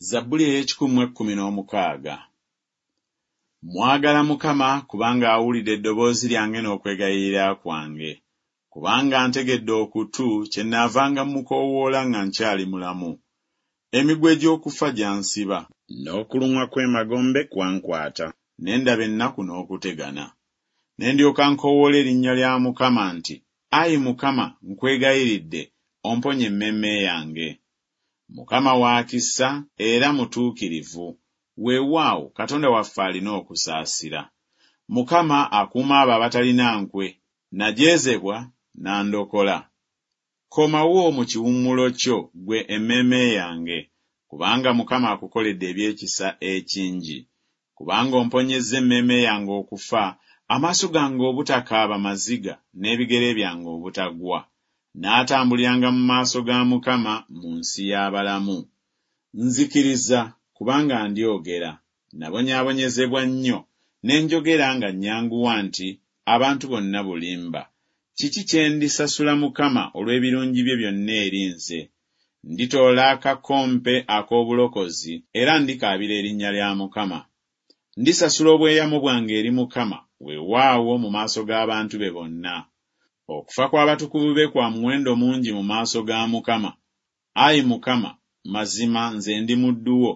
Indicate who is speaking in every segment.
Speaker 1: Zabbuli ey'ekikumi mu ekkumi n'omukaaga. Mwagala Mukama kubanga awulidde eddoboozi lyange n'okwegayirira kwange. Kubanga antegedde okutu, kyennaavanga mmukoowoola nga nkyali mulamu. Emiguwa egy'okufa gyansiba. N'okulumwa kw'emagombe kwankwata, ne ndaba ennaku n'okutegana. Ne ndyoka nkoowoola erinnya lya Mukama nti Ayi Mukama, nkwegayiridde, omponye emmeeme yange. Mukama wa kisa era mutuukirivu, weewaawo, Katonda waffe alina okusaasira. Mukama akuuma abo abatalina nkwe, Najeezebwa, n'andokola. Komawo mu kiwummulo kyo, ggwe emmeeme yange, kubanga Mukama akukoledde eby'ekisa ekingi. Kubanga omponyezza emmeeme yange okufa, amaaso gange obutakaaba maziga, n'ebigere byange obutagwa. Naatambuliranga mu maaso ga Mukama mu nsi y'abalamu. Nzikiriza, kubanga ndyogera, nabonyaabonyezebwa nnyo, Ne njogera nga nnyanguwa nti Abantu bonna bulimba. Kiki kye ndisasula Mukama olw'ebirungi bye byonna eri nze? Nditoola akakompe ak'obulokozi, era ndikaabira erinnya lya Mukama. Ndisasula obweyamo bwange eri Mukama, weewaawo, mu maaso g'abantu be bonna. Okufa kw'abatukuvu be kwa muwendo mungi mu maaso ga Mukama. Ayi Mukama, mazima nze ndi muddu wo,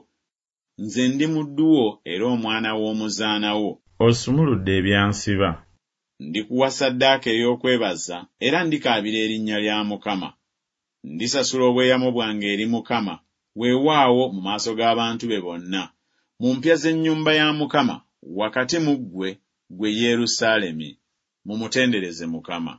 Speaker 1: nze ndi muddu wo era omwana w'omuzaana wo.
Speaker 2: Osumuludde ebyansiba.
Speaker 1: Ndikuwa ssaddaaka ey'okwebaza era ndikaabira erinnya lya Mukama. Ndisasula obweyamo bwange eri Mukama, weewaawo, mu maaso g'abantu be bonna, mu mpya z'ennyumba ya Mukama, wakati mu ggwe, ggwe Yerusaalemi. Mumutendereze Mukama.